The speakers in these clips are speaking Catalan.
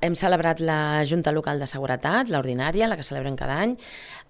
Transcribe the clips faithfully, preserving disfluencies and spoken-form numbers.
Hem celebrat la Junta Local de Seguretat, l'ordinària, la que celebrem cada any.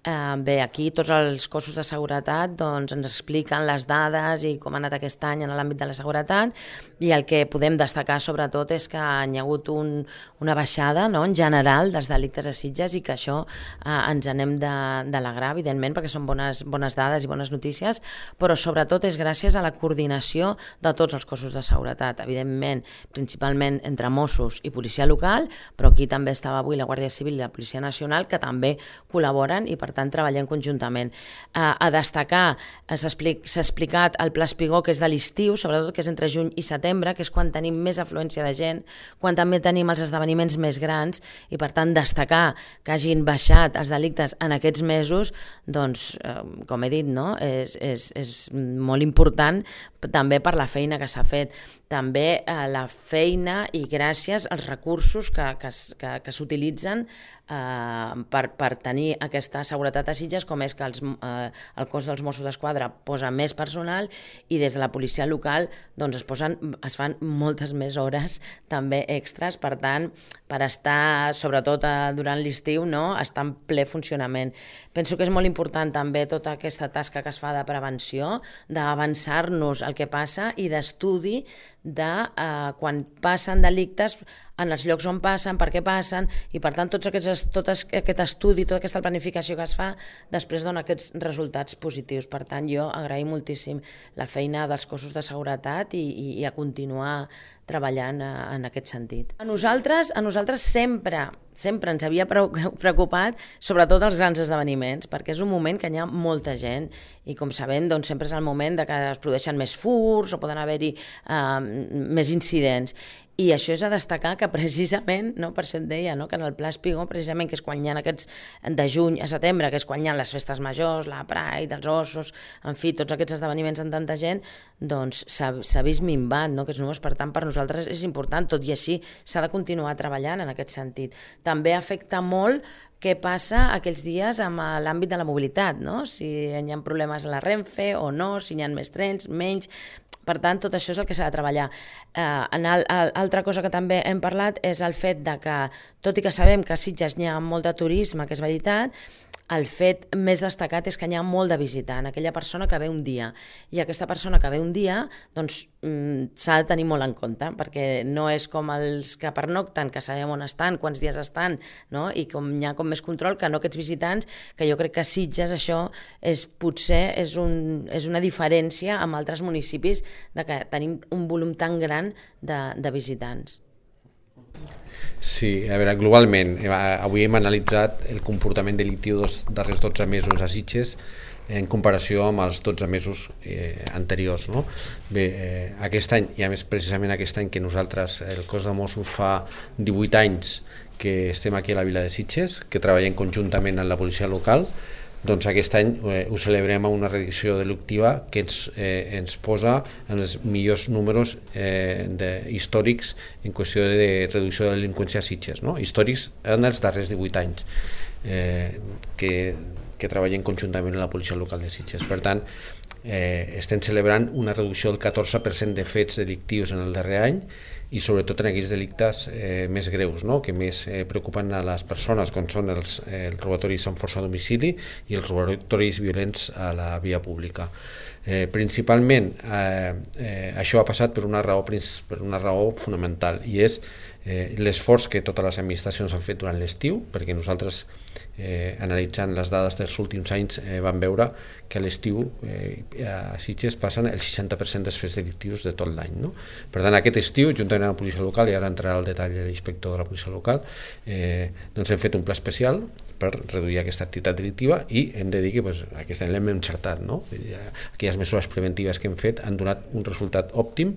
Eh, bé, aquí tots els cossos de seguretat doncs, ens expliquen les dades i com ha anat aquest any en l'àmbit de la seguretat, i el que podem destacar sobretot és que hi ha hagut un, una baixada, no?, en general dels delictes a Sitges, i que això eh, ens anem d'alegrar, evidentment, perquè són bones, bones dades i bones notícies, però sobretot és gràcies a la coordinació de tots els cossos de seguretat, evidentment, principalment entre Mossos i policia local, però aquí també estava avui la Guàrdia Civil i la Policia Nacional, que també col·laboren i per tant treballem conjuntament. Eh, a destacar, s'ha explic, explicat el Pla Espigó, que és de l'estiu, sobretot que és entre juny i setembre, que és quan tenim més afluència de gent, quan també tenim els esdeveniments més grans, i per tant destacar que hagin baixat els delictes en aquests mesos, doncs, eh, com he dit, no?, és, és, és molt important també per la feina que s'ha fet. També eh, la feina i gràcies als recursos que, que, que, que s'utilitzen eh, per, per tenir aquesta seguretat a Sitges, com és que els, eh, el cos dels Mossos d'Esquadra posa més personal, i des de la policia local doncs, es, posen, es fan moltes més hores també extras, per tant, per estar, sobretot eh, durant l'estiu, no?, estar en ple funcionament. Penso que és molt important també tota aquesta tasca que es fa de prevenció, d'avançar-nos el que passa i d'estudi de eh, quan passen delictes, en els llocs on passen, per què passen, i per tant tots aquests, tot aquest estudi, tota aquesta planificació que es fa, després dona aquests resultats positius. Per tant, jo agraïm moltíssim la feina dels cossos de seguretat i, i, i a continuar treballant en aquest sentit. A nosaltres, a nosaltres sempre, sempre ens havia preocupat sobretot els grans esdeveniments, perquè és un moment que hi ha molta gent i, com sabem, doncs, sempre és el moment de que es produeixen més furts o poden haver-hi eh, més incidents. I això és a destacar que precisament, no, per això et deia, no, que en el Pla Espigó, precisament, que és quan hi ha aquests de juny a setembre, que és quan hi ha les festes majors, la Pride, els ossos, en fi, tots aquests esdeveniments amb tanta gent, doncs s'ha vist minvat, no, aquests números. Per tant, per nosaltres és important, tot i així s'ha de continuar treballant en aquest sentit. També afecta molt què passa aquells dies amb l'àmbit de la mobilitat, no? Si hi ha problemes a la Renfe o no, si hi ha més trens, menys. Per tant, tot això és el que s'ha de treballar. Eh, en el, el, altra cosa que també hem parlat és el fet de que, tot i que sabem que a Sitges hi ha molt de turisme, que és veritat, el fet més destacat és que hi ha molt de visitant, aquella persona que ve un dia. I aquesta persona que ve un dia doncs, s'ha de tenir molt en compte, perquè no és com els que pernocten, que sabem on estan, quants dies estan, no? I com hi ha com més control que no aquests visitants, que jo crec que a Sitges això és, potser és, un, és una diferència amb altres municipis, de que tenim un volum tan gran de, de visitants. Sí, a veure, globalment, avui hem analitzat el comportament delictiu dels darrers dotze mesos a Sitges en comparació amb els dotze mesos eh, anteriors, no? Bé, eh, aquest any, i a més precisament aquest any que nosaltres, el cos de Mossos, fa divuit anys que estem aquí a la vila de Sitges, que treballem conjuntament amb la policia local, doncs aquest any eh, ho celebrem amb una reducció delictiva que ens, eh, ens posa en els millors números eh, de, històrics en qüestió de reducció de delinqüència a Sitges, no? Històrics en els darrers divuit anys eh, que, que treballem conjuntament amb la policia local de Sitges. Per tant, eh, estem celebrant una reducció del catorze per cent de fets delictius en el darrer any, i sobretot en aquells delictes eh, més greus, no?, que més eh, preocupen a les persones, com són els, eh, els robatoris amb força a domicili i els robatoris violents a la via pública. Eh, principalment eh, eh, això ha passat per una raó, per una raó fonamental, i és eh, l'esforç que totes les administracions han fet durant l'estiu, perquè nosaltres eh, analitzant les dades dels últims anys eh, vam veure que a l'estiu eh, a Sitges passen el seixanta per cent dels fets delictius de tot l'any, no? Per tant, aquest estiu, juntament amb la policia local, i ara entrarà al detall l'inspector de la policia local, eh, doncs hem fet un pla especial per reduir aquesta activitat delictiva, i hem de dir que pues, aquest any l'hem encertat, no? Aquelles mesures preventives que hem fet han donat un resultat òptim,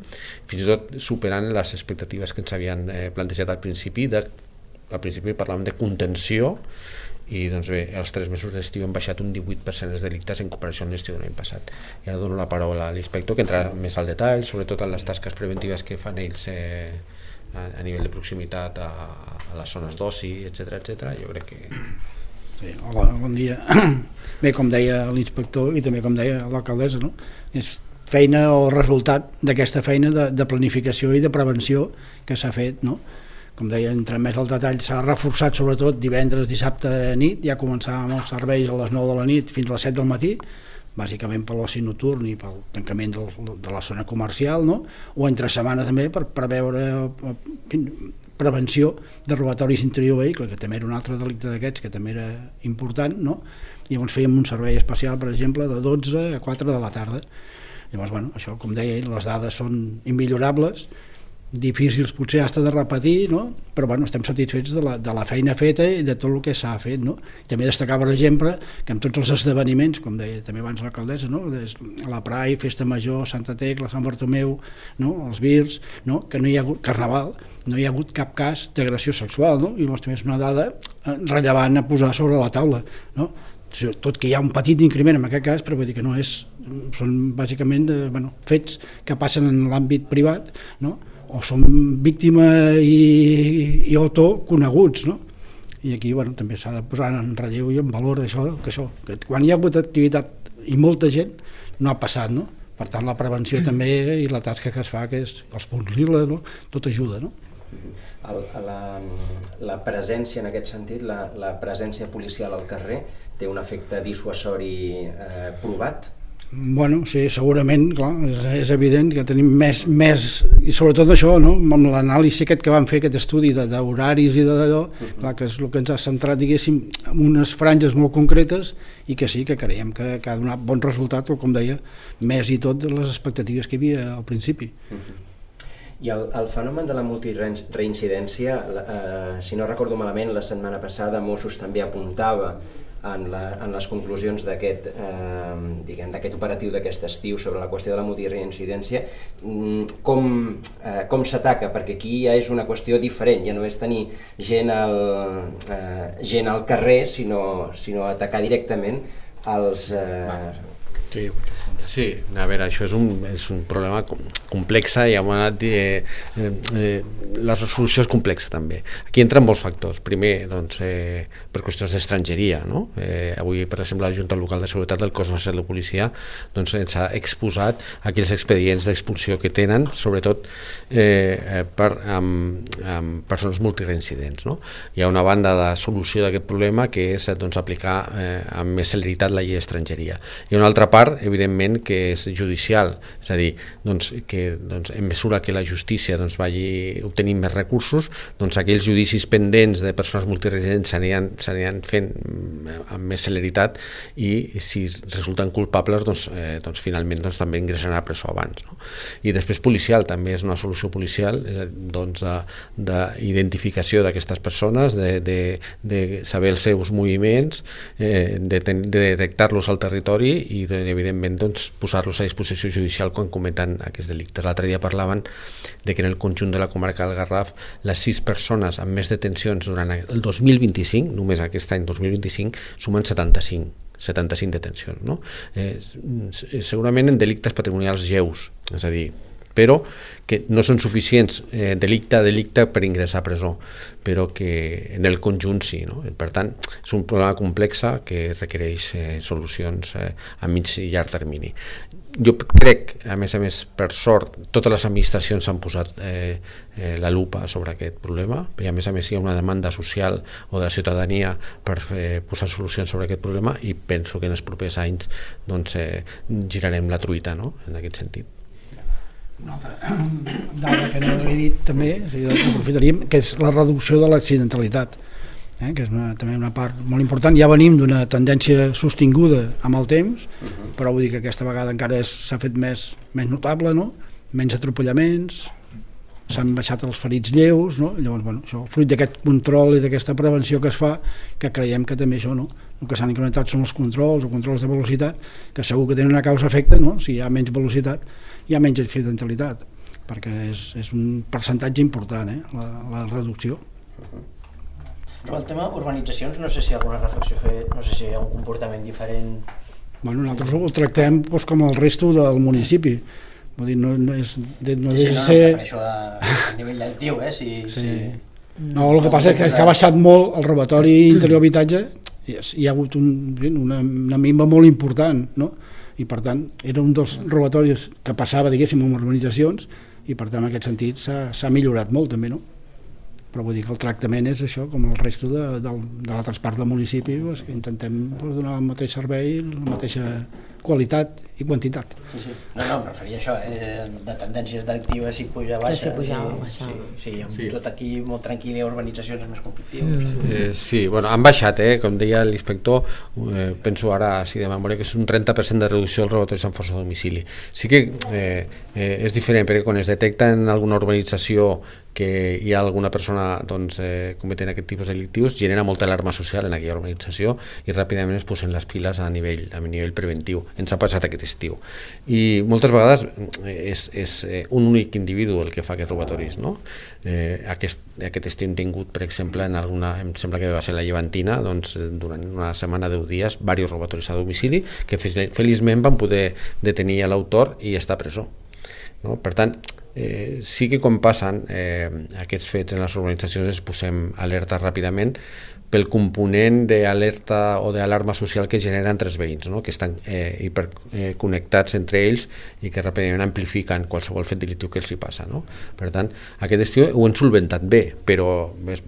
fins i tot superant les expectatives que ens havien eh, plantejat al principi. De, al principi parlàvem de contenció, i doncs bé, els tres mesos d'estiu hem baixat un divuit per cent els delictes en comparació amb l'estiu de l'any passat. I ara dono la paraula a l'inspector, que entrarà més al detall, sobretot en les tasques preventives que fan ells eh, a, a nivell de proximitat a, a les zones d'oci, etcètera, etcètera. Jo crec que... Sí, hola, bon dia. Bé, com deia l'inspector i també com deia l'alcaldessa, no? És feina o resultat d'aquesta feina de, de planificació i de prevenció que s'ha fet, no? com deia, entre més al detall, s'ha reforçat sobretot divendres, dissabte a nit, ja començàvem els serveis a les nou de la nit fins a les set del matí, bàsicament per l'oci nocturn i pel tancament del, de la zona comercial, no? O entre setmana també per preveure prevenció de robatoris interior vehicle, que també era un altre delicte d'aquests que també era important, no? I llavors fèiem un servei especial, per exemple, de dotze a quatre de la tarda. Llavors, bueno, això, com deia ell, les dades són immillorables, difícils potser hasta de repetir, no? Però bueno, estem satisfets de la, de la feina feta i de tot el que s'ha fet, no? I també destacar, per exemple, que amb tots els esdeveniments, com deia també abans l'alcaldessa, no? La Pride, Festa Major, Santa Tecla, Sant Bartomeu, no? Els Virs, no? Que no hi ha hagut Carnaval, no hi ha hagut cap cas d'agressió sexual, no? I llavors també és una dada rellevant a posar sobre la taula, no? Tot que hi ha un petit increment en aquest cas, però vull dir que no és, són bàsicament eh, bueno, fets que passen en l'àmbit privat, no? O són víctima i, i autor coneguts, no? I aquí bueno, també s'ha de posar en relleu i en valor això, que això, que quan hi ha hagut activitat i molta gent no ha passat, no? Per tant la prevenció també i la tasca que es fa, que és els punts lila, no? Tot ajuda, no? El, la, la presència en aquest sentit, la, la presència policial al carrer té un efecte dissuasori eh, provat? Bueno, sí, segurament, clar, és, és evident que tenim més, més i sobretot això, no? Amb l'anàlisi aquest que vam fer, aquest estudi d'horaris i d'allò, uh-huh. Clar, que és el que ens ha centrat, diguéssim, en unes franges molt concretes i que sí, que creiem que, que ha donat bon resultat, o com deia, més i tot de les expectatives que hi havia al principi. Uh-huh. I el, el fenomen de la multireincidència, eh, si no recordo malament, la setmana passada Mossos també apuntava en, la, en les conclusions d'aquest eh, diguem, d'aquest operatiu d'aquest estiu sobre la qüestió de la multireincidència, com, eh, com s'ataca, perquè aquí ja és una qüestió diferent, ja no és tenir gent al, eh, gent al carrer, sinó, sinó atacar directament als... Eh... Sí, sí, a veure, això és un, és un problema complex i hem anat eh, eh, la solució és complexa també. Aquí entren molts factors. Primer, doncs, eh, per qüestions d'estrangeria, no? Eh, avui, per exemple, la Junta Local de Seguretat del Cos Nacional de Policia doncs, ens ha exposat aquells expedients d'expulsió que tenen, sobretot eh, per, amb, amb persones multireincidents, no? Hi ha una banda de solució d'aquest problema que és doncs, aplicar eh, amb més celeritat la llei d'estrangeria. Hi ha una altra part, evidentment, que és judicial, és a dir, doncs, que doncs, en mesura que la justícia doncs, vagi obtenint més recursos, doncs aquells judicis pendents de persones multireincidents s'aniran fent amb més celeritat i si resulten culpables doncs, eh, doncs finalment doncs, també ingressaran a presó abans, no? I després policial, també és una solució policial doncs, d'identificació d'aquestes persones, de, de, de saber els seus moviments, eh, de, de detectar-los al territori i de evidentment doncs, posar-los a disposició judicial quan cometen aquests delictes. L'altre dia parlaven de que en el conjunt de la comarca del Garraf les sis persones amb més detencions durant el dos mil vint-i-cinc, només aquest any dos mil vint-i-cinc, sumen setanta-cinc detencions, no? Eh, segurament en delictes patrimonials lleus, és a dir, però que no són suficients eh, delicte a delicte per ingressar a presó, però que en el conjunt sí, no? Per tant, és un problema complex que requereix eh, solucions eh, a mig i llarg termini. Jo crec, a més a més, per sort, totes les administracions s'han posat eh, eh, la lupa sobre aquest problema, i a més a més hi ha una demanda social o de la ciutadania per eh, posar solucions sobre aquest problema i penso que en els propers anys doncs, eh, girarem la truita, no? En aquest sentit. Una altra dada que no he dit també, aprofitaríem, que és la reducció de l'accidentalitat, eh, que és una, també una part molt important. Ja venim d'una tendència sostinguda amb el temps, uh-huh. Però vull dir que aquesta vegada encara s'ha fet més, més notable, no? Menys atropellaments, s'han baixat els ferits lleus, no? Llavors, bueno, això, fruit d'aquest control i d'aquesta prevenció que es fa, que creiem que també això, no? El que s'han incrementat són els controls o controls de velocitat, que segur que tenen una causa-efecte, no? Si hi ha menys velocitat, hi ha menys accidentalitat, perquè és, és un percentatge important, eh? la, la reducció. Però el tema urbanitzacions, no sé si hi ha alguna reflexió a fer, no sé si hi ha un comportament diferent. Bueno, nosaltres ho tractem doncs, com el resto del municipi. Vull dir, no, no és de, no sí, sí, de no, ser... no, prefereixo a, a nivell delictiu, eh? Si, sí. si... No, el que passa és que, que ha baixat molt el robatori interior habitatge, i hi ha hagut un, una, una minva molt important, no? I per tant era un dels robatoris que passava, diguéssim, en urbanitzacions, i per tant en aquest sentit s'ha millorat molt també, no? però vull dir que el tractament és això, com el resto de, de, de l'altres parts del municipi, pues, que intentem pues, donar el mateix servei, la mateixa qualitat i quantitat. Sí, sí. No, no, em referia a això, eh? De tendències delictives, si puja, baixa. Que si pujava, baixava. Sí, sí, amb sí. Tot aquí molt tranquil i urbanitzacions és més conflictiu. Mm. Eh, sí, bueno, han baixat, eh? Com deia l'inspector, eh, penso ara, si de memòria, que és un trenta per cent de reducció dels robatoris en força a domicili. Sí que eh, eh, és diferent, perquè quan es detecta en alguna urbanització que hi ha alguna persona doncs, eh, cometent aquest tipus de delictius, genera molta alarma social en aquella urbanització i ràpidament es posen les piles a nivell, a nivell preventiu. Ens ha passat aquest estiu. I moltes vegades és, és un únic individu el que fa aquests robatoris, no? Eh, aquest, aquest estiu hem tingut, per exemple, en alguna, em sembla que va ser la Llevantina, doncs, durant una setmana, deu dies, diversos robatoris a domicili, que feliçment van poder detenir l'autor i està a presó. No? Per tant, eh, sí que quan passen eh, aquests fets en les organitzacions es posem alerta ràpidament pel component d'alerta o d'alarma social que genera entre els veïns, no? Que estan eh, hiperconnectats entre ells i que ràpidament amplifiquen qualsevol fet delictiu que els hi passa, no? Per tant, aquest estiu ho hem solventat bé, però és,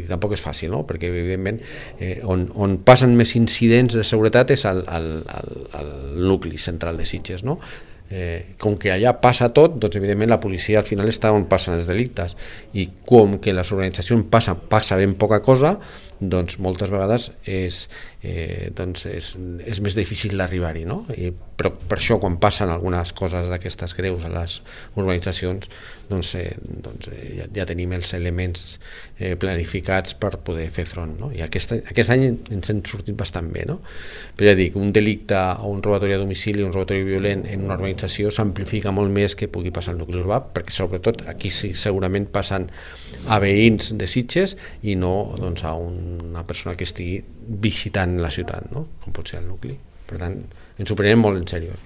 tampoc és fàcil, no? Perquè evidentment eh, on, on passen més incidents de seguretat és al, al, al, al nucli central de Sitges, no? Eh, com que allà passa tot, doncs evidentment la policia al final està on passen els delictes i com que les organitzacions passa, passa ben poca cosa, doncs moltes vegades és, eh, doncs és, és més difícil d'arribar-hi, no? I, però per això quan passen algunes coses d'aquestes greus a les organitzacions doncs, eh, doncs eh, ja, ja tenim els elements eh, planificats per poder fer front, no? I aquest, aquest any ens hem sortit bastant bé, no? Però ja dic, un delicte o un robatori a domicili, un robatori violent en una organització s'amplifica molt més que pugui passar al nucli urbà, perquè sobretot aquí sí, segurament passen a veïns de Sitges i no doncs, a una persona que estigui visitant la ciutat, no? Com pot ser el nucli. Per tant, ens ho prenem molt en sèrio.